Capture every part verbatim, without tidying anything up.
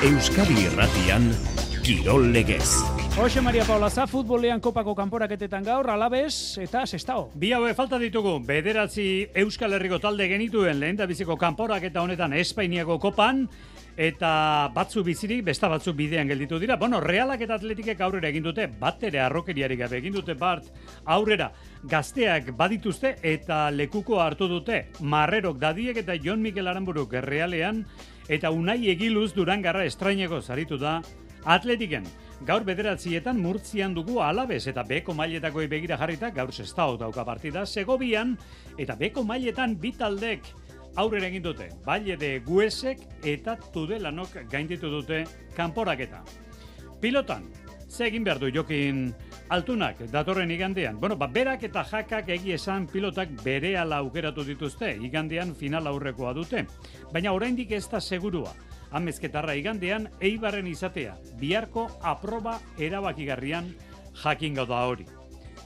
Euskadi Irratian, Kirol Legez. Jose Maria Paulaza, futbolean kopako kanporaketetan gaur, Alabes eta Sestao. Bi haue falta ditugu, bederatzi Euskal Herriko talde genituen lehendabiziko kanporaketa honetan Espainiako kopan, eta batzu bizirik, besta batzu bidean gelditu dira. Bueno, Realak eta Atletikek aurrera egin dute, bat ere arrokeriarik gabe egin dute bat aurrera. Gazteak badituzte eta lekuko hartu dute. Marrerok Dadiek eta Jon Mikel Aranburuk Realean, eta Unai Egiluz Durangarra estraineko zaritu da Atletiken. Gaur bederatzietan Murtzian dugu Alabes eta beko mailetako begira jarrita gaur Sestao dauka partida. Segovian eta beko mailetan bi taldek aurrera egin dute. Valle de Guesek eta Tudelanok gainditu dute kanporaketa. Pilotan, ze egin behar du Jokin Altunak datorren igandean? Bueno, ba, berak eta jakak egi esan pilotak berehala aukeratu dituzte. Igandean final aurrekoa dute. Baina oraindik ez da segurua. Amezketarra igandean Eibarren izatea, biharko aproba erabakigarrian jakingo da hori.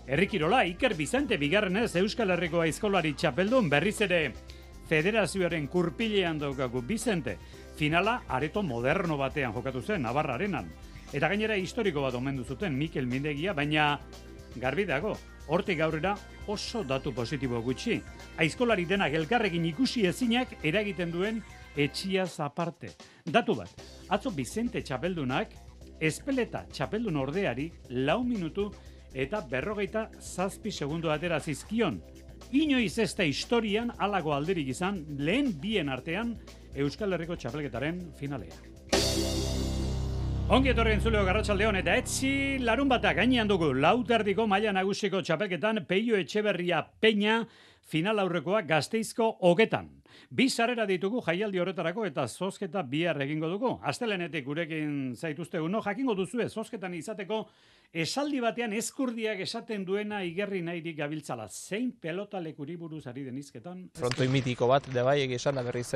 Herrikirola, Iker Bizante bigarrenez Euskal Herriko aizkolari txapeldun berriz ere federazioaren kurpilean daukagu. Bizente, finala areto moderno batean jokatu zen, Navarra Arenan. Eta gainera historiko bat omendu zuten Mikel Mindegia, baina garbi dago, hortik aurrera oso datu positibo gutxi. Aizkolari denak elkarrekin ikusi ezinak eragiten duen etxiaz aparte. Datu bat, atzo Bizente txapeldunak, Espeleta txapeldun ordeari lau minutu eta berrogeita zazpi segundo atera zizkion. Inoiz ez da historian halago alderik izan lehen bien artean Euskal Herriko txapelketaren finalea. Ongi etorri entzuleo Garratsaldeon eta etzi larun batak gainean dugu lauterdiko maila nagusiko txapelketan Peio Etxeberria Peña final aurrekoa Gasteizko hogetan. Bi sarrera ditugu jaialdi horretarako eta zozketa bihar egingo dugu. Astelehenetik gurekin zaituztegu, no, jakingo duzue zozketan izateko esaldi batean eskurdiak esaten duena igerri nahirik gabiltzala. Zein pelota lekuri buruz ari denizketan? Frontoi mitiko bat, de bai, egia esan, da berriz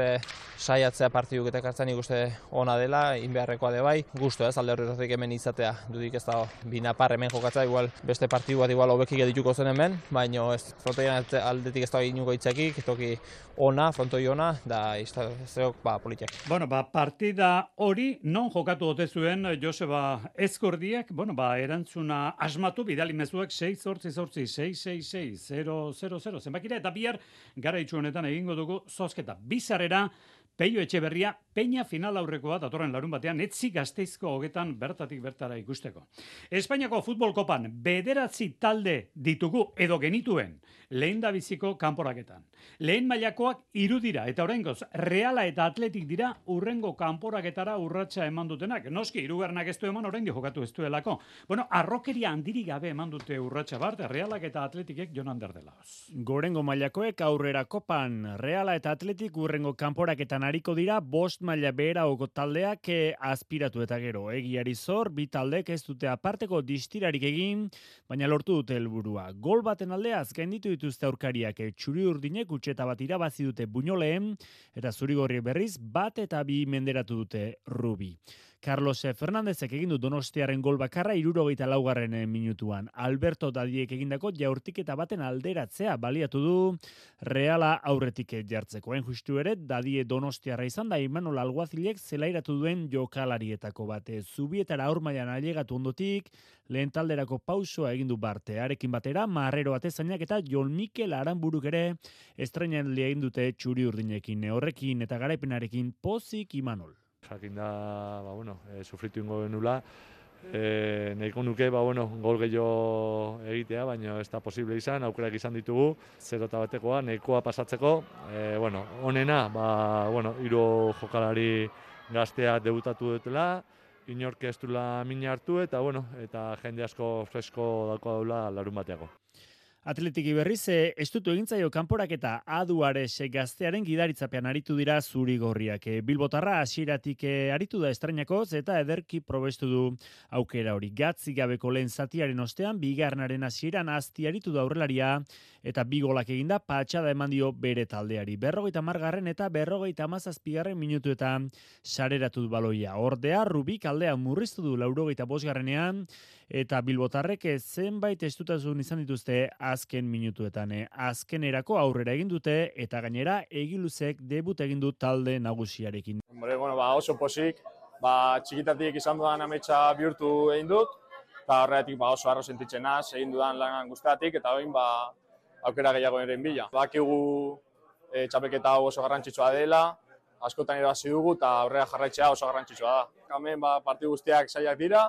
saiatzea partiduk eta kartzen ikuste ona dela, inbeharrekoa de bai. Gusto ez, alde horretatik hemen izatea, dudik ez da binapar hemen jokatza, igual beste partidu bat igual hobekik edituko zen hemen, baina ez, frontoian aldetik ez da inuko itzakik, toki ona, frontoi ona, da izteok ba, politiak. Bueno, ba, partida hori non jokatu ote zuen Joseba Eskordiak, bueno, ba, erantzuna asmatu, bidali mezuak sei zortzi zortzi, sei sei sei, zero zero zero, zenbakira, eta bihar gara itxu honetan egingo dugu zozketa. Bizarrera, Peio Etxeberria, Peña final aurrekoa datorren larun batean, etzi Gasteizko hogetan bertatik bertara ikusteko. Espainiako futbol kopan bederatzi talde ditugu edo genituen lehendabiziko kanporaketan. Lehen mailakoak hiru dira eta oraingoz Reala eta Atletik dira urrengo kanporaketara urratsa eman dutenak. Noski hirugarrenak ez du eman, oraindik jokatu ez duelako. Bueno, arrokeria handirik gabe eman dute urratsa bart, Realak eta Atletikek Jon Ander delaoz. Gorengo mailakoek aurrera kopan, Reala eta Atletik urrengo kanporaketan ariko dira bost maila beheragoko taldeak eh, aspiratu eta gero. Egiari zor, bi taldek ez dute aparteko distirarik egin, baina lortu dute helburua. Gol baten aldeaz gainditu dituzte aurkariak, eh, txuri urdinek utxeta bat irabazi dute Buñoleen, eta zurigorri berriz bat eta bi menderatu dute Rubi. Carlos Fernandezek egin du Donostiaren gol bakarra hirurogeita laugarren minutuan. Alberto Dadiek egindako jaurtiketa baten alderatzea baliatu du Reala aurretik jartzeko. Hain justu ere, Dadie Donostiarra izan da Imanol Alguazilek zelairatu duen jokalarietako bate. Zubietara aurmailan ailegatu ondotik, lehen talderako pausoa egin du Barte. Arekin batera, Marrero Atezainak eta Jon Mikel Aranburuk ere estreinen egin dute txuri urdinekin. Horrekin eta garaipenarekin pozik Imanol. Jakin da, ba, bueno, e, sufritu ingo genula, e, nahiko nuke, ba, bueno, gol gehiago egitea, baina ez da posible izan, aukerak izan ditugu, zero eta batekoa, nahikoa pasatzeko, e, bueno, onena, ba, bueno, hiru jokalari gaztea debutatu dutela, inork ez duela mina hartu, eta, bueno, eta jende asko fresko dauko daula larun bateako. Atletiki berriz, estutu egintzaio kanporaketa Aduares gaztearen gidaritzapean aritu dira zuri-gorriak. Bilbotarra hasieratik aritu da estrainakoz eta ederki probestu du aukera hori. Gatzi gabeko lehen zatiaren ostean, bigarrenaren hasieran azti aritu da aurrelaria eta bi golak eginda patxada eman dio bere taldeari. Berrogeita margarren eta berrogeita hamazazpigarren minutuetan sareratu du baloia. Ordea, Rubik aldea murriztu du laurogeita bosgarrenean eta bilbotarrek zenbait estutasun izan dituzte azken minutuetan. Azkenerako aurrera egin dute eta gainera Egiluzek debut egin du talde nagusiarekin. Bueno, ba, oso posik, ba, txikitatik izan dudan ametsa bihurtu egin dut, eta horregatik ba, oso harro sentitzen naz, egin dudan lan guztiatik, eta orain ba, aukera gehiago eren bila. Bakigu e, txapelketa hau oso garrantzitsua dela, askotan irabazi dugu eta aurrera jarraitzea oso garrantzitsua da. Hemen ba, partidu guztiak zailak dira,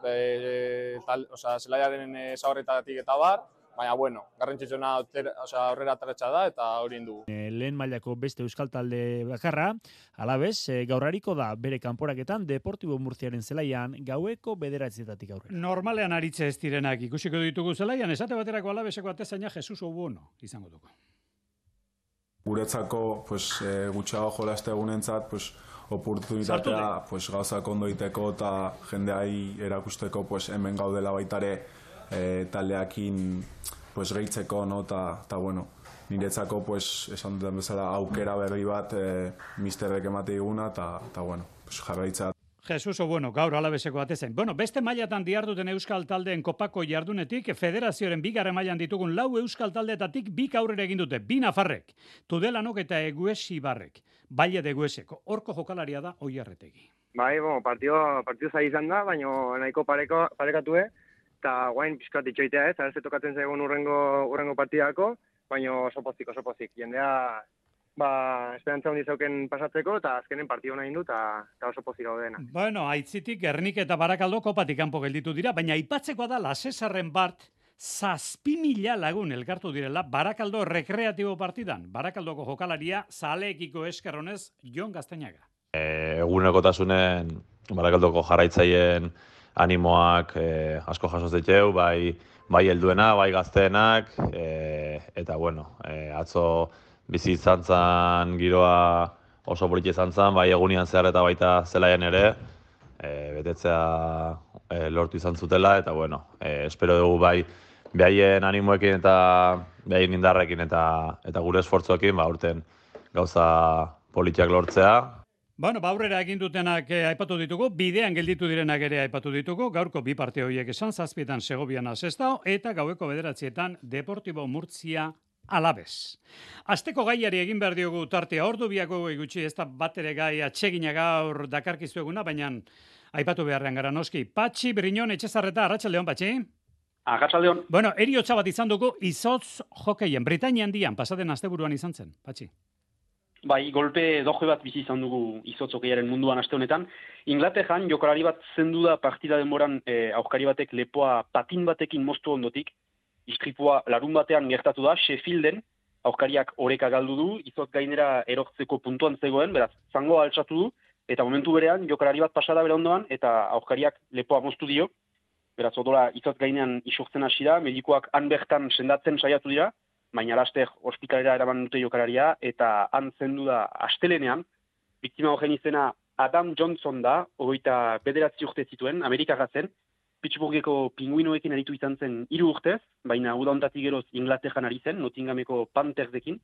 e, tal, osea, zelaiaren zaurretatik eta bar, baina, bueno, garrantzitsuena aurrera ataratsa da eta hori dugu. E, lehen mailako beste euskal talde bakarra, alabez, e, gaurariko da bere kanporaketan Deportibo Murziaren zelaian gaueko bederatzietatik aurrera. Normalean aritze ez direnak ikusiko ditugu zelaian, esate baterako alabeseko atezaina Jesus Obuono izango dugu. Guretzako, pues, e, gutxago jolaste egunentzat, pues, oportunitatea pues, gauzak ondo iteko eta jendeai erakusteko pues, hemen gaudela baitare e, taldeakin pues, gehitzeko, no? Ta, ta, bueno, niretzako, pues, esan duten bezala, aukera berri bat e, misterrek emate diguna, eta, ta, bueno, pues, jarraitza. Jesus Obuono, gaur alabeseko atezain. Bueno, beste mailatan diharduten euskal taldeen kopako jardunetik, federazioaren bigarren mailan ditugun lau euskal taldeetatik bi aurrera egin dute, bi nafarrek, Tudelanok eta Eguesi Barrek, Baile de Egueseko, horko jokalaria da Oiarretegi. Bai, bueno, partio, partio zai izan da, baina nahiko pareko, parekatue, eta guain pixkat itxoitea ez, arze tokatzen zaigun urrengo, urrengo partidako, baina oso pozik, oso pozik. Jendea, ba, esperantza hondi zauken pasatzeko, eta azkenen partio nahi du, eta oso pozik gaudena. Bueno, aitzitik Gernik eta Barakaldo kopatik kanpo gelditu dira, baina aipatzekoa da Lasesarren Bart, zazpi mila lagun elkartu direla Barakaldo rekreatibo partidan. Barakaldoko jokalaria zaleekiko eskerronez Jon Gaztainaga. E, egunekotasunen Barakaldoko jarraitzaien animoak e, asko jasoz diteu, bai, bai helduena, bai gazteenak, e, eta bueno, e, atzo bizi izan zan giroa oso politxe izan zan, bai egunian zehar eta baita zelaian ere, e, betetzea e, lortu izan zutela, eta bueno, e, espero dugu bai behaien animoekin eta behaien indarrekin eta eta gure esfortzuekin, ba, urten gauza politiak lortzea. Bueno, ba, aurrera egin dutenak eh, aipatu ditugu, bidean gelditu direnak ere aipatu ditugu, gaurko bi parte horiek esan, zazpietan Segoviana Sestao, eta gaueko bederatzietan Deportibo Murtzia Alabez. Asteko gaiari egin behar diogu tartea, ordu biako gutxi, ez da bat ere gai atsegina gaur dakarkizu eguna, baina aipatu beharrean gara noski. Patxi, Briñon, Etxezarreta, Arratsaldeon, Patxi. Arratsaldeon. Bueno, eriotza bat izan dugu, izotz jokeien, Britainia handian, pasaden asteburuan izan zen, Patxi. Bai, golpe doje bat bizi izan dugu izotz hokeiaren munduan aste honetan. Inglaterran jokalari bat zendu da partida denboran eh, aurkari batek lepoa patin batekin moztu ondotik. Istripua larun batean gertatu da, Sheffielden, aurkariak oreka galdu du, izotz gainera erortzeko puntuan zegoen, beraz, zangoa altxatu du, eta momentu berean jokalari bat pasada bere ondoan, eta aurkariak lepoa moztu dio. Beraz, odola izotz gainean isurtzen hasi da, medikoak han bertan sendatzen saiatu dira, baina laster ospitalera eraman dute jokalaria, eta han zendu da astelenean, biktima horren izena Adam Johnson da, hogeita bederatzi urte zituen, Amerikarra zen, Pittsburgheko pinguinoekin aritu izan zen hiru urtez, baina uda hontatik geroz Inglaterran ari zen, Nottinghameko Panthersdekin.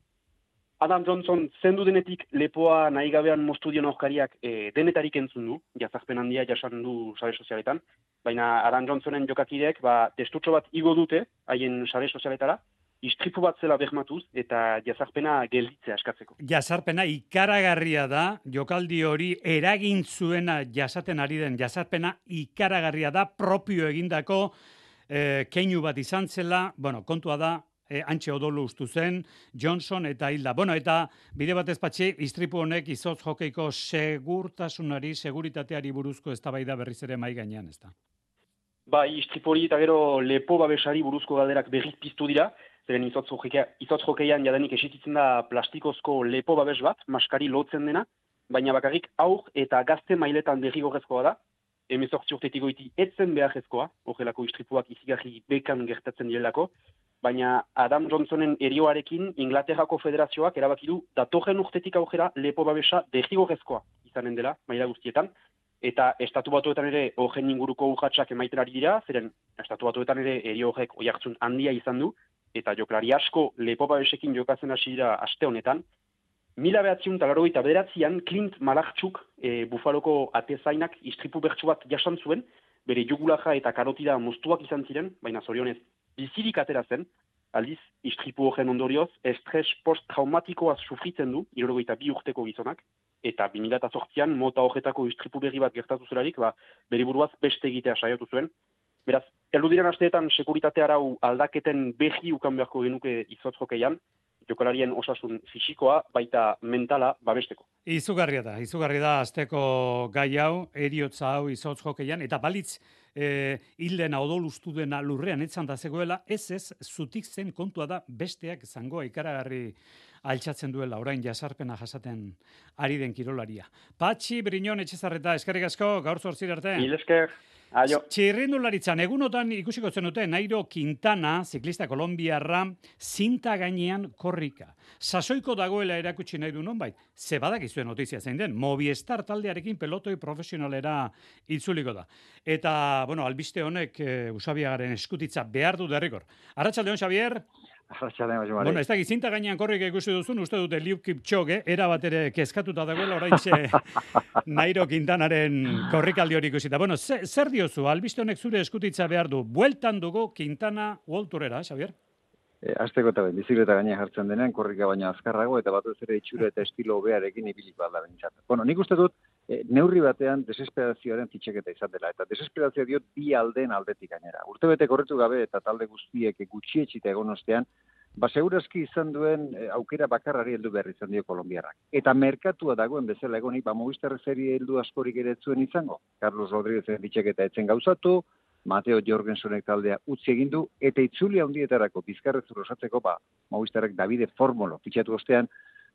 Adam Johnson zendu denetik lepoa nahi gabean moztu dion aurkariak e, denetarik entzun du, jazarpen handia jasan du sare sozialetan, baina Adam Johnsonen jokakideek ba, testutxo bat igo dute haien sare sozialetara, istripu bat zela bermatuz eta jazarpena gelditzea eskatzeko. Jazarpena ikaragarria da, jokaldi hori eragin zuena jasaten ari den jazarpena ikaragarria da, propio egindako eh, keinu bat izan zela, bueno, kontua da, eh, antxe odolu ustu zen, Johnson eta Hilda. Bueno, eta bide batez patxi, istripu honek izotz jokeiko segurtasunari, seguritateari buruzko eztabaida berriz ere mai gainean, ez da? Ba, istripu hori eta gero lepo babesari buruzko galderak berriz piztu dira, zeren izotz jokeian jadanik esistitzen da plastikozko lepo babes bat, maskari lotzen dena, baina bakarrik aur eta gazte mailetan derrigorrezkoa da, hemezortzi urtetik goiti etzen beharrezkoa, horrelako istripuak izigarri bekan gertatzen direlako, baina Adam Johnsonen erioarekin Inglaterrako federazioak erabaki du datorren urtetik aurrera lepo babesa derrigorrezkoa izanen dela, maila guztietan, eta estatu batuetan ere horren inguruko urratsak emaiten ari dira, zeren estatu batuetan ere erio horrek oihartzun handia izan du, eta joklari asko lepo babesekin jokatzen hasi dira aste honetan. Mila behatziun talaroi eta bederatzian Clint Malartxuk e, Bufaloko atezainak istripu bertsu bat jasan zuen, bere jugulaja eta karotida moztuak izan ziren, baina zorionez bizirik atera zen, aldiz, istripu horren ondorioz, estres post-traumatikoaz sufritzen du, hirurogeita bi urteko gizonak, eta bi mila zortzian mota horretako istripu berri bat gertatu zelarik, ba, bere buruaz beste egitea saiatu zuen. Beraz, heldu diren asteetan sekuritate arau aldaketen berri ukan beharko genuke izotz hokeian, jokalarien osasun fisikoa, baita mentala babesteko. Izugarria da, izugarria da azteko gai hau, eriotza hau izotz hokeian, eta balitz e, hilden odol ustu dena lurrean etzan da zegoela, ez ez, zutik zen kontua da besteak zangoa ikaragarri altxatzen duela, orain jasarpena jasaten ari den kirolaria. Patxi Briñon Etxezarreta, eskerrik asko, gaur zortzir arte. Mil esker. Aio. Txirrindularitzan, egunotan ikusiko zenuten Nairo Quintana, ziklista kolombiarra, zinta gainean korrika. Sasoiko dagoela erakutsi nahi du nonbait, ze badakizuen notizia zein den, Movistar taldearekin pelotoi profesionalera itzuliko da. Eta, bueno, albiste honek e, Usabiagaren eskutitza behar du derrikor. Arratsaldeon, Xavier? Bueno, ez da, zinta gainean korrika ikusi duzun, uste dute Eliud Kipchoge, era bat ere kezkatuta dagoela, oraintxe Nairo Quintanaren korrikaldi hori ikusita. Bueno, zer, zer diozu, albiste honek zure eskutitza behar du, bueltan dugu Quintana World Tourera, Xavier? E, Azteko eta bizikleta gainean jartzen denean, korrika baina azkarrago, eta batez ere itxura eta estilo hobearekin ibiliko alda bentsat. Bueno, nik uste dut, e, neurri batean desesperazioaren fitxaketa izan dela, eta desesperazioa diot bi aldeen aldetik gainera. Urtebete korritu gabe eta talde guztiek gutxietxita egon ostean, ba, segurazki izan duen e, aukera bakarrari heldu behar izan dio kolombiarrak. Eta merkatua dagoen bezala egonik, ba, Movistar serie heldu askorik ere zuen izango. Carlos Rodríguezen fitxaketa etzen gauzatu, Mateo Jorgensenek taldea utzi egin du, eta itzuli handietarako bizkarrezur osatzeko, ba, Movistarrek Davide Formolo fitxatu ostean,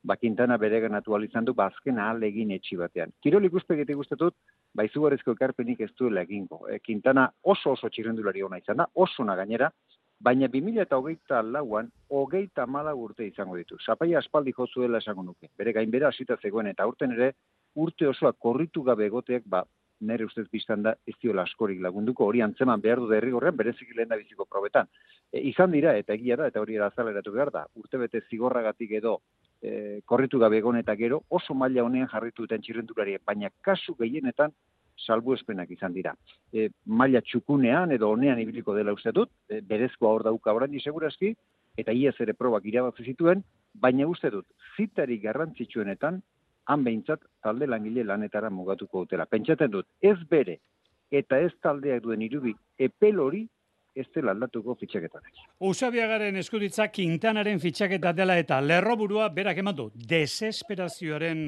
ba, Quintana bere ganatu izan du, ba, azken ahal egin etxi batean. Kirol ikuspegetik guztetut, ba, izugarrizko ekarpenik ez duela egingo. E, Quintana oso oso txirrendulari ona izan da, oso na gainera, baina bi mila hogeita lauan, hogeita hamala urte izango ditu. Zapaia aspaldi jozuela esango nuke. Bere gainbera hasita zegoen, eta urten ere, urte osoa korritu gabe egoteak, ba, nere ustez biztan da ez diola askorik lagunduko, hori antzeman behar du derrigorrean, berezik lehen da biziko probetan. E, izan dira, eta egia da, eta hori erazaleratu behar da, urtebete zigorragatik edo e, korritu gabe egon eta gero, oso maila honean jarritu duten txirrendulariek, baina kasu gehienetan salbuespenak izan dira. E, maila txukunean edo honean ibiliko dela uste dut, e, berezkoa hor dauka orain segurazki, eta iaz ere probak irabazi zituen, baina uste dut, zitari garrantzitsuenetan, han behintzat talde langile lanetara mugatuko dutela. Pentsatzen dut, ez bere eta ez taldeak duen irubi epel hori ez dela aldatuko fitxaketanek. Usabiagaren eskutitza Quintanaren fitxaketa dela eta lerroburua berak eman du desesperazioaren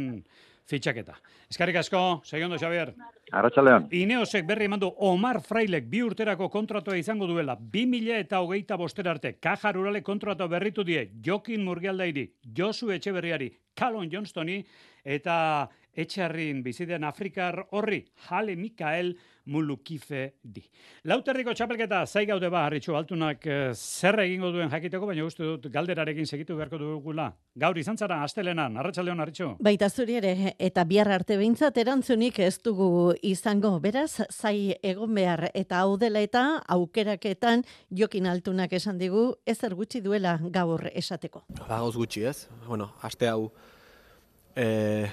fitxaketa. Eskarrik asko, segondo, Xavier. Arratsaldeon. Ineosek berri eman du Omar Frailek bi urterako kontratua izango duela, bi mila eta hogeita bostera arte, Caja Rurale kontratua berritu die, Jokin Murgialdairi, Josu Etxeberriari, Callum Johnstoni, eta Etxarrin bizidean Afrikar horri, Hale Mikael Mulukife di. Lauterriko txapelketa, zai gaude ba, Harritxu Altunak eh, zer egingo duen jakiteko, baina uste dut galderarekin segitu beharko dugula. Gaur izan zara, astelenan, Arratsaldeon Harritxu. Baita zuri ere, eta bihar arte behintzat erantzunik ez dugu izango. Beraz, zai egon behar eta hau dela eta aukeraketan Jokin Altunak esan digu, ezer gutxi duela gaur esateko. Ba, gauz gutxi ez. Bueno, aste hau e,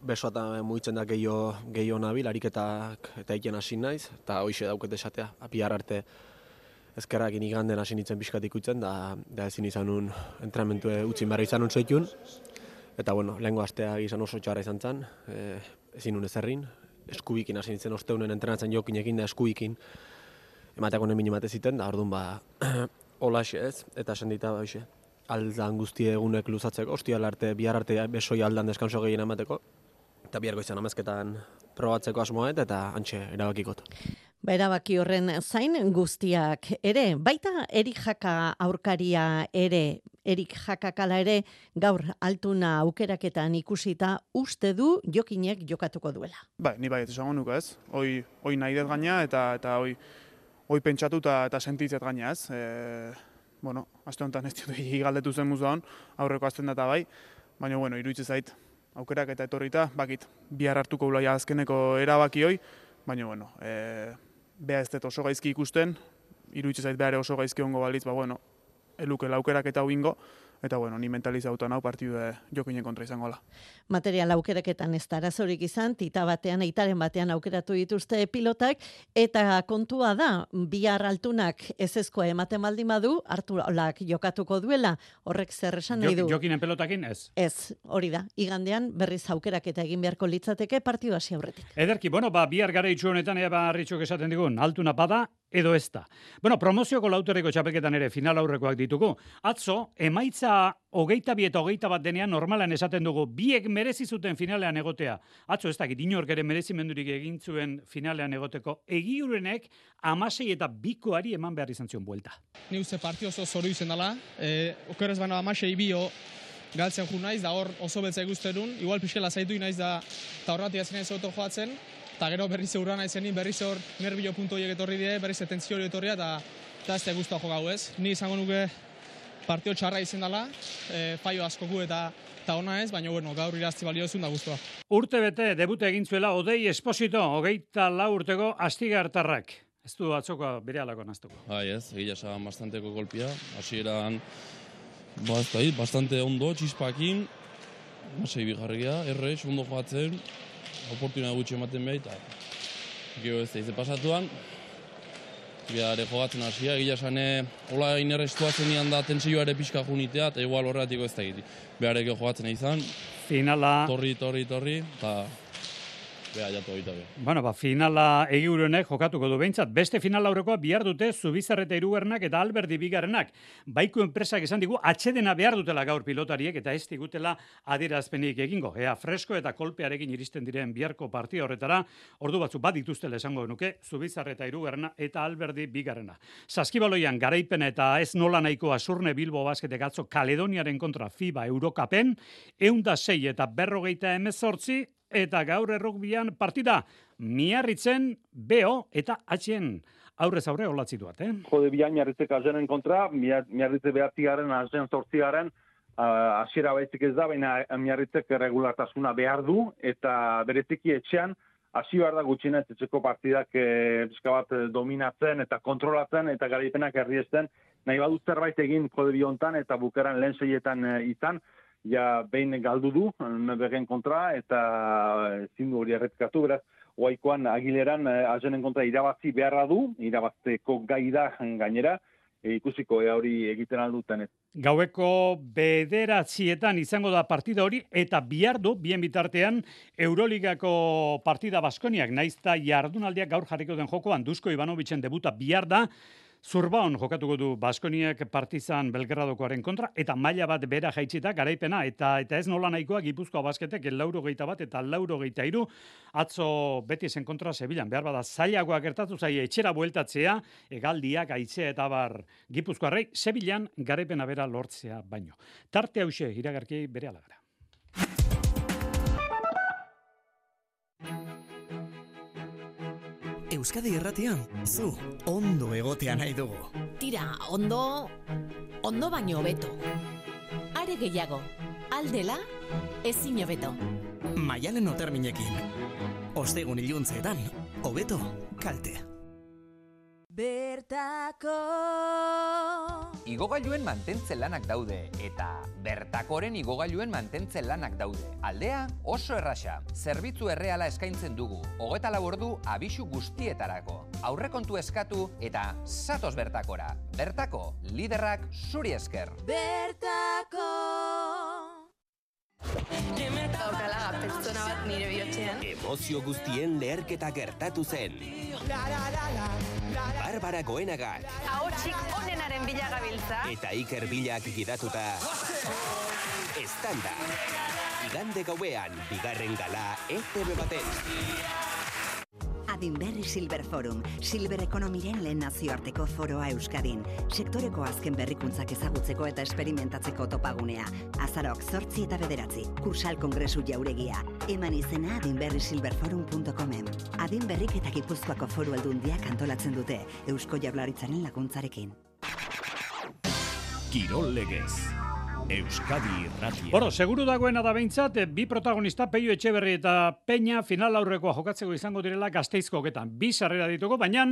besoa eta mugitzen da gehiago gehiago nabil, ariketak eta egiten hasi naiz, eta hoixe dauket esatea, bihar arte ezkerrakin iganden hasi nintzen pixkat ikutzen, da, da ezin izan un entrenamentu utzin behar izan un zoitun, eta bueno, lehengo astea izan oso txarra izan zen, e, ezin un ezerrin, eskubikin hasi nintzen osteunen entrenatzen Jokinekin da eskubikin, emateako nemin emate ziten, da orduan ba, holaxe ez, eta esan dita hoixe, aldan guztie egunek luzatzeko, ostial arte, bihar arte besoi aldan deskanso gehien emateko, eta biharko izan amezketan probatzeko asmoet, eta antxe erabakikot. Ba, erabaki horren zain guztiak ere, baita Erik Jaka aurkaria ere, Erik Jakakala ere, gaur Altuna aukeraketan ikusita uste du Jokinek jokatuko duela. Ba, ni bai, ez esango nuke ez, hoi, hoi nahi dut gaina, eta, eta hoi, hoi pentsatu eta sentitzet gaina ez. E, bueno, aste honetan ez dut galdetu zen muzuan, aurreko azten data bai, baina bueno, iruditzen zait, aukerak eta etorrita, bakit, bihar hartuko ulaia azkeneko erabaki hoi, baina bueno, e, beha ez dut oso gaizki ikusten, iruditzen zait behar oso gaizki ongo balitz, ba bueno, eluke laukerak eta uingo, eta bueno, ni mentalizauta nau partidu jokinen kontra izango la. Material aukeraketan ez da arazorik izan, tita batean, eitaren batean aukeratu dituzte pilotak, eta kontua da, bihar altunak ezezkoa ematen baldin badu, Arturolak jokatuko duela, horrek zer esan nahi du? Jokinen pelotakin ez? Ez, hori da, igandean berriz aukeraketa egin beharko litzateke partidu hasi aurretik. Ederki, bueno, ba, bihar gara itxu honetan, ea ba, Arritxok esaten digun, altuna bada, edo ez da. Bueno, promozioko lauterreko txapelketan ere final aurrekoak ditugu. Atzo, emaitza hogeita bi eta hogeita bat denean normalan esaten dugu, biek merezi zuten finalean egotea. Atzo, ez dakit, inork ere merezimendurik egin zuen finalean egoteko. Egiurenek amasei eta bikoari eman behar izan zion buelta. Ni uste partio oso zoru izen dela, e, okerez baina amasei bio galtzen ju naiz, da hor oso beltza ikusterun, igual pixkela zaitu naiz da, eta horretik azkenean zoto joatzen, eta gero berriz eurra naizenin, berriz hor nerbio puntu horiek etorri die, berriz etentzio hori etorria, eta ez da guztua jokau ez. Ni izango nuke partio txarra izen dela, e, faio askoku eta eta ona ez, baina bueno, gaur irazti baliozun da guztua. Urte bete debute egin zuela Odei Esposito, hogeita lau urteko astigartarrak. Ez du atzoko bere alako naztuko. Bai ez, egia esan bastanteko golpia, hasieran ba, ez da, bastante ondo, txispakin, masei bigarria, errex, ondo joatzen, oportunidad gutxi ematen behar, eta gero ez da, izte pasatuan, Biare jogatzen hasia, egia esan hola inerrestuatzen nian da tentsioa ere pixka junitea, eta igual horretiko ez da egiti. Behareko jogatzen izan. Finala... Torri, torri, torri, eta... Beha, jatu egita be. Bueno, ba, finala Egiurenek jokatuko du behintzat. Beste final aurrekoa bihar dute Zubizarreta hirugarrenak eta Alberdi bigarrenak. Baiku enpresak esan digu atxedena behar dutela gaur pilotariek eta ez digutela adierazpenik egingo. Ea fresko eta kolpearekin iristen diren biharko partia horretara, ordu batzu bat dituztela esango nuke Zubizarreta hirugarrena eta Alberdi bigarrena. Saskibaloian garaipena eta ez nola nahikoa Surne Bilbo basketek atzo Kaledoniaren kontra FIBA Eurokapen, eunda sei eta berrogeita hemezortzi, eta gaur errukbian partida Miarritzen B O eta H-en aurrez aurre olatzituat, eh? Jode bian Miarritzek azenen kontra, Miarritze behatziaren, azen zortziaren, hasiera uh, baizik ez da, baina Miarritzek regulartasuna behar du, eta bereziki etxean, hasi behar da gutxinez etxeko partidak e, bat dominatzen eta kontrolatzen, eta garaipenak herriesten, nahi badut zerbait egin jode biontan, eta bukeran lehen seietan e, izan, ja behin galdu du, begen kontra, eta zindu hori erretkatu, beraz, oaikoan agileran azenen kontra irabazi beharra du, irabazteko gai da gainera, e, ikusiko ea hori egiten alduten. Gaueko bederatzietan izango da partida hori, eta bihar du, bien bitartean, Euroligako partida Baskoniak, naizta jardunaldiak gaur jarriko den jokoan, Dusko Ivanovitzen debuta bihar da, Zurbaon jokatuko du Baskoniak Partizan Belgradokoaren kontra, eta maila bat bera jaitsita garaipena, eta eta ez nola nahikoa Gipuzkoa basketek laurogeita bat eta laurogeita hiru atzo Betisen kontra Sevillan. Behar bada zailagoa gertatu zaie etxera bueltatzea, hegaldiak, haitzea eta bar Gipuzkoarrei Sevillan garaipena bera lortzea baino. Tarte hauxe iragarki bere alagara. Euskadi Irratian, zu, ondo egotea nahi dugu. Tira, ondo, ondo baino hobeto. Are gehiago, aldela, ezin hobeto. Maialen Oterminekin, ostegun iluntzeetan, hobeto, kalte. Bertako Igogailuen mantentze lanak daude, eta Bertakoren igogailuen mantentze lanak daude. Aldea oso erraxa, zerbitzu erreala eskaintzen dugu, hogeta lau ordu abisu guztietarako. Aurrekontu eskatu eta zatoz Bertakora. Bertako, liderrak zuri esker. Bertako Daukala pertsona bat nire bihotzean. Emozio guztien leherketa gertatu zen. Barbara Goenagak. Ahotsik onenaren bila gabiltza. Eta Iker Bilak gidatuta. Estanda. Igande gauean, bigarren gala E T B baten. Adinberri Silver Forum, Silver Ekonomiren lehen nazioarteko foroa Euskadin. Sektoreko azken berrikuntzak ezagutzeko eta esperimentatzeko topagunea. Azarok zortzi eta bederatzi, Kursal Kongresu jauregia. Eman izena adinberri silver forum puntu comen. Adinberrik eta Gipuzkoako foru aldundiak antolatzen dute, Eusko Jaurlaritzaren laguntzarekin. Kirol legez. Euskadi Irratia. Bueno, seguru dagoena da behintzat, bi protagonista, Peio Etxeberri eta Peña final aurrekoa jokatzeko izango direla Gasteizko hoketan. Bi sarrera ditugu, baina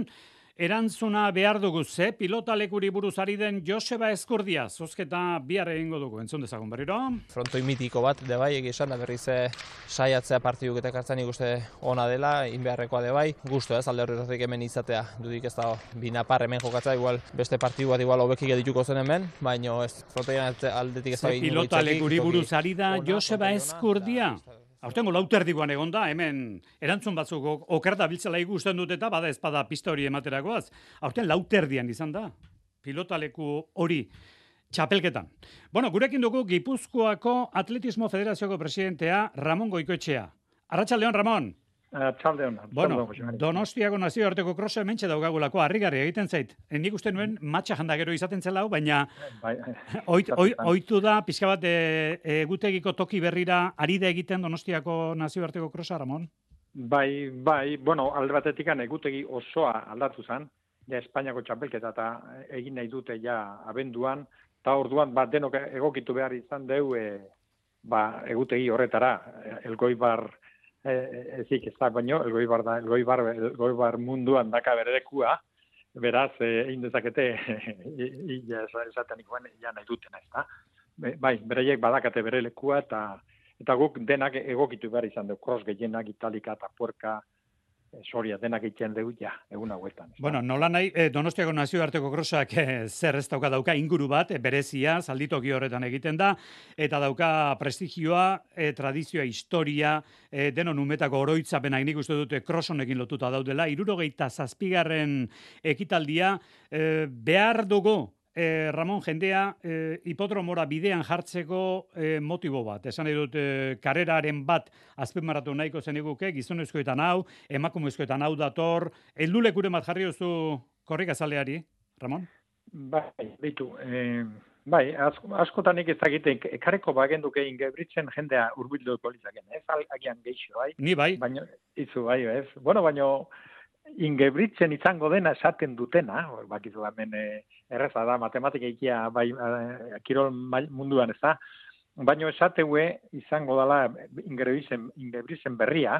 Erantzuna behar dugu ze, pilota lekuri buruz ari den Joseba Eskurdia, zozketa bihar egingo dugu, entzun dezagun berriro. Frontoi mitiko bat, de bai, egizan da berriz saiatzea partiduk eta kartzen ikuste ona dela, inbeharrekoa de bai, gustu ez, alde horretik hemen izatea, dudik ez da binapar hemen jokatzea, igual beste partidu bat igual hobekik edituko zen hemen, baina ez, frontoian aldetik ez da ingo pilota lekuri buruz ari da Joseba Eskurdia. Aurtengo lauterdikoan egon da, hemen erantzun batzuk okerda biltzela ikusten dut eta bada ezpada pista hori ematerakoaz. Aurten lauterdian izan da, pilotaleku hori txapelketan. Bueno, gurekin dugu Gipuzkoako Atletismo Federazioko presidentea Ramon Goikoetxea. Arratsaldeon, Ramon. Arratsaldeon. Bueno, Donostiako nazioarteko krosa hementxe daukagulako harrigarri egiten zait. Nik uste nuen matxa janda gero izaten zela hau, baina ohitu da pixka bat egutegiko toki berrira ari da egiten Donostiako nazioarteko krosa, Ramon? Bai, bai, bueno, alde batetik egutegi osoa aldatu zen, ja Espainiako txapelketa eta egin nahi dute ja abenduan, eta orduan bat denok egokitu behar izan deu ba, egutegi horretara, Elgoibar ezik ez da, baino, elgoibar da, elgoibar, elgoibar munduan daka beredekua, beraz, egin dezakete, esaten ikoen, ja nahi dutena, ez da. Bai, bereiek badakate bere lekua, eta eta guk denak egokitu behar izan dugu, cross gehienak, italika eta puerka, soria, denak egiten dugu, ja, egun hauetan. Bueno, nola nahi, Donostiako nazioarteko crossak zer ez dauka dauka inguru bat, berezia, zalditoki horretan egiten da, eta dauka prestigioa, tradizioa, historia, denon umetako oroitzapenak nik uste dute cross honekin lotuta daudela, hirurogeita zazpigarren ekitaldia, behar dugu, Eh, Ramon, jendea eh, hipodromora bidean jartzeko eh, motibo bat. Esan nahi dut, eh, kareraren bat azpimarratu nahiko zeniguke, gizonezkoetan hau, emakumezkoetan hau dator, heldulekuren bat jarri duzu korrikazaleari, Ramon? Bai, bitu, eh, bai, asko, askotan ez dakite, ekareko bagenduke ingebritzen jendea urbilduko lizaken, ez agian geixo, bai? Ni bai. Baina, izu, bai, ez? Bueno, baina, ingebritzen izango dena esaten dutena, bakizu hemen erreza da, matematika ikia bai, kirol munduan ez da, baina esateue izango dela ingebritzen, ingebritzen berria,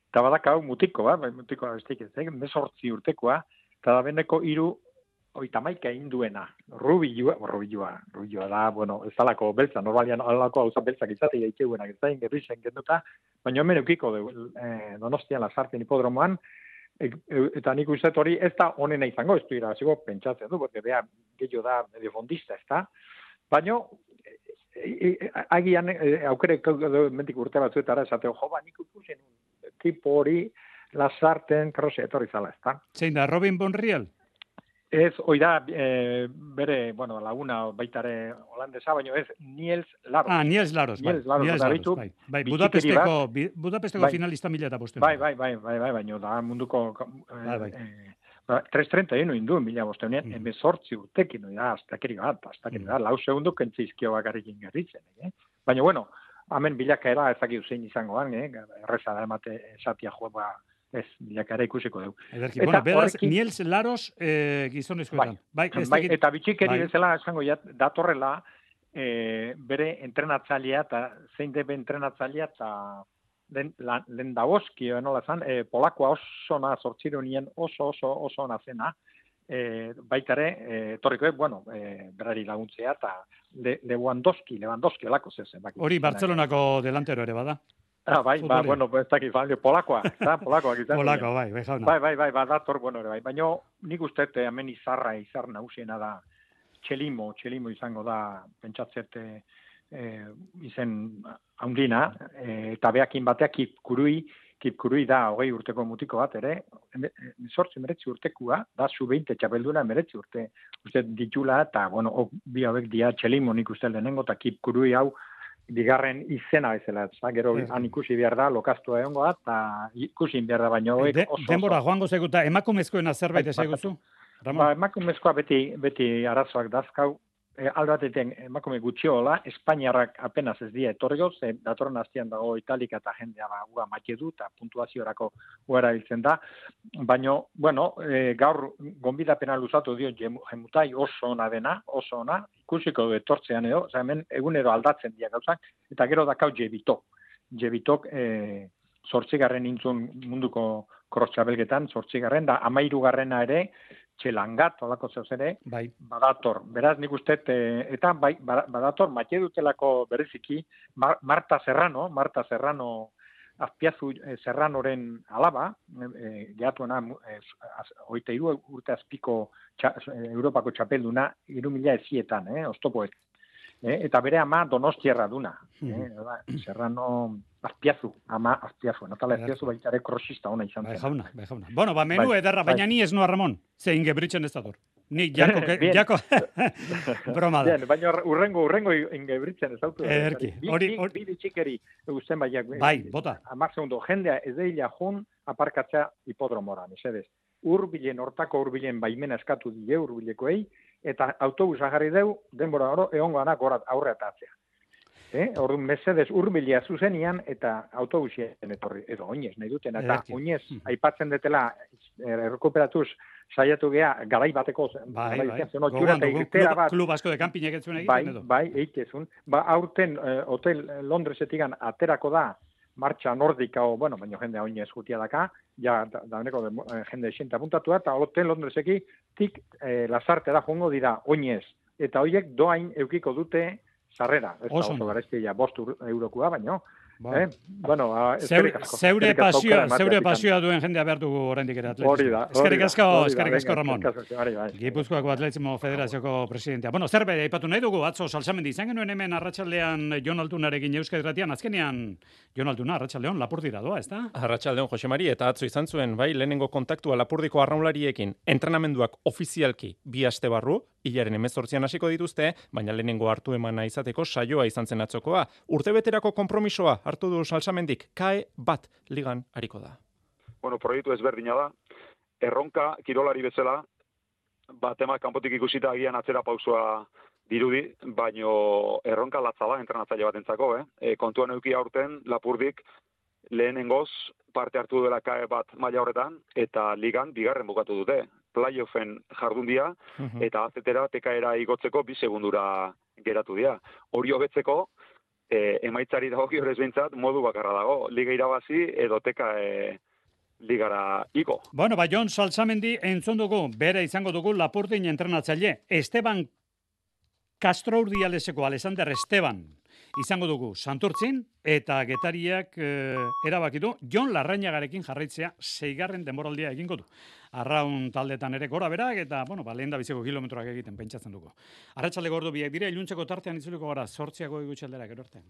eta badakau mutiko, ba, mutiko bestik ez, mesortzi urtekoa, eta da beneko hiru oitamaika egin duena, rubilua, rubilua, rubilua da, bueno, ez dalako beltza, normalian alako hauza beltzak izate daiteuenak, ez da ingebritzen genduta, baina hemen eukiko du, eh, Donostian Lasarten hipodromoan, eta nik uste hori ez da honena izango, ez du irabaziko pentsatzen du, porque bea gehiago da medio fondista, ez da. Baina, agian aukere mentik urte batzuetara esateo, jo, ba, nik ikusen tipo hori Lasarten krose etorri zala, ez da. Zein da, Robin Bonriel? Ez, hoi da, e, bere, bueno, laguna baitare holandesa, baina ez, Niels Laros. Ah, Niels Laros, bai. Niels Laros, Niels Laros, bai. bai. Budapesteko, Budapesteko bai. Finalista mila eta bosteun. Bai, bai, bai, bai, bai, baina da munduko... Bai, bai. Eh, tres treinta egin induen mila bosteunean, mm. emezortzi urtekin, da, aztakeri bat, aztakeri mm. da, lau segundu kentzizkio bakarrik ingerritzen, eh? Baina, bueno, hemen bilakaera ezakik zein izangoan, eh? Erreza da emate esatia joa, ba, ez, bilakaera ikusiko dugu. Ederki, bueno, beraz, horrekin... Niels Laros eh, gizonezkoetan. Bai, bai, bai, eta bitxikeri bai. Bezala, esango, ja, datorrela, eh, bere entrenatzailea, eta zein debe entrenatzailea, eta lehen Daboski, nola zan, eh, polakoa oso na, zortzironien oso, oso, oso na zena, eh, baitare, eh, torriko, bueno, eh, berari laguntzea, eta Le, Lewandowski, Lewandowski, olako zezen. Hori, Bartzelonako delantero ere bada. Ah, bai, ba, bueno, ez dakit, polakoa, eta polakoa. Polakoa, bai, bai, jauna. Bai, bai, bai, bai, dator, bueno, ere, bai. Baina nik uste, hemen izarra, izar nausiena da, txelimo, txelimo izango da, pentsatzete, eh, izen haundina, eh, eta behakin bateak kipkurui, kipkurui da hogei urteko mutiko bat, ere, sortzi meretzi urtekua, da zu beinte txapelduna meretzi urte, uste ditula, eta, bueno, ok, bi hauek dia txelimo nik uste lehenengo, eta kipkurui hau, bigarren izena bezala, eta gero han ikusi behar da, lokaztua egongo da, eta ikusi behar da, baino De, oso... Denbora, joango zeguta, emakumezkoena zerbait ezaguzu? Ba, emakumezkoa beti, beti arazoak dazkau, e, aldateten emakume gutxiola, Espainiarrak apenas ez dira etorriko, ze datorren hastian dago Italika eta jendea ba, ua matxe du, eta puntuaziorako uera biltzen da, baina, bueno, e, gaur gonbidapena luzatu dio jemutai oso ona dena, oso ona, ikusiko du etortzean edo, oza, hemen egunero aldatzen dira gauzak, eta gero dakau jebitok. Jebitok, e, zortzigarren intzun munduko cross txapelketan, zortzigarren, da amairugarrena ere, txelangat, olako zeuz ere, bai. badator. Beraz, nik uste, eta bai, badator, maite dutelako berriziki, Mar Marta Serrano, Marta Serrano, Azpiazu eh, Serranoren alaba, eh, gehatuena, eh, oita iru urte azpiko txa, Europako txapelduna, iru mila ezietan, eh, oztopoet. Eh, eta bere ama Donostierra duna. Eh, Serrano Azpiazu, ama Azpiazu. Natala Azpiazu baitare krosista ona izan zen. Bai, jauna, bai, jauna. Bueno, ba, menu bai, ederra, baina bai. ni ez noa, Ramon. Ze Ingebritzen ez dator. Ni jako, que, jako, broma da. Bien, baina urrengo, urrengo Ingebritzen ez dautu. Ederki. Hori, hori. Bi bitxikeri, guzten baiak. Bai, bota. Amar segundo, jendea ez deila jun aparkatzea hipodromora, mesedez. Urbilen, hortako urbilen baimena eskatu die urbilekoei, eta autobusa jarri deu, denbora oro, egongo anak aurre atatzea. Eh? Orduan, mesedez urbilia zuzenian, eta autobusien etorri, edo oinez, nahi duten, eta Ederki. oinez, aipatzen detela, errekuperatuz, saiatu gea, garai bateko, Bai, garai bai. zen, otxura Gogoan eta dugu, irtera klub, bat, klub asko de kanpinek ez zuen bai, egiten edo. bai, eikezun, ba, aurten eh, hotel Londresetikan aterako da, martxa nordika, o, bueno, baina jende oinez jutia daka, ja, da, dauneko de, eh, jende xenta puntatua, eta hotel Londreseki, tik eh, lasartera joango dira oinez, eta hoiek doain eukiko dute sarrera, ez da Oso oso garestia bost eurokoa, baino, Ba. eh? Bueno, a, Zeure, asko. zeure Eskerrik asko pasioa, aukera zeure emateagatik. pasioa duen jendea behar dugu oraindik ere atletismo. Hori da, hori Eskerrik da, asko, hori da, eskerrik asko, venga, Ramon. eskerrik asko, bai, bai. Gipuzkoako Atletismo Federazioko presidentea. Bueno, zerbait aipatu nahi dugu, atzo Salsamendi izan genuen hemen arratsaldean Jon Altunarekin Euskadi Irratian, azkenean Jon Altuna arratsaldeon Lapurdira doa, ezta? Arratsaldeon Jose Mari, eta atzo izan zuen, bai, lehenengo kontaktua Lapurdiko arraunlariekin, entrenamenduak ofizialki bi aste barru, hilaren hemezortzian hasiko dituzte, baina lehenengo hartu emana izateko saioa izan zen atzokoa. Urtebeterako konpromisoa hartu du Salsamendik, kae bat ligan hariko da. Bueno, proiektu ezberdina da. Erronka kirolari bezala, batema kanpotik ikusita agian atzera pausoa dirudi, baino erronka latza da entrenatzaile batentzako, eh? E, kontuan eduki aurten Lapurdik lehenengoz parte hartu dela kae bat maila horretan, eta ligan bigarren bukatu dute. Playoffen jardundia, eta azetera tekaera igotzeko bi segundura geratu dira. Hori hobetzeko, e, emaitzari dagokio ez behintzat, modu bakarra dago. Liga irabazi edo teka e, ligara igo. Bueno, ba, Jon Salsamendi entzun dugu, bere izango dugu Lapurdin entrenatzaile. Esteban Castro Urdialeseko Alexander Esteban izango dugu Santurtzin, eta Getariak eh, erabaki du Jon Larrañagarekin jarraitzea seigarren denboraldia egingo du. Arraun taldetan ere gora berak, eta, bueno, ba, lehen da biziko kilometroak egiten pentsatzen dugu. Arratsalde gordu biak dira, iluntzeko tartean itzuliko gara, zortziako egutxaldera, gero arte.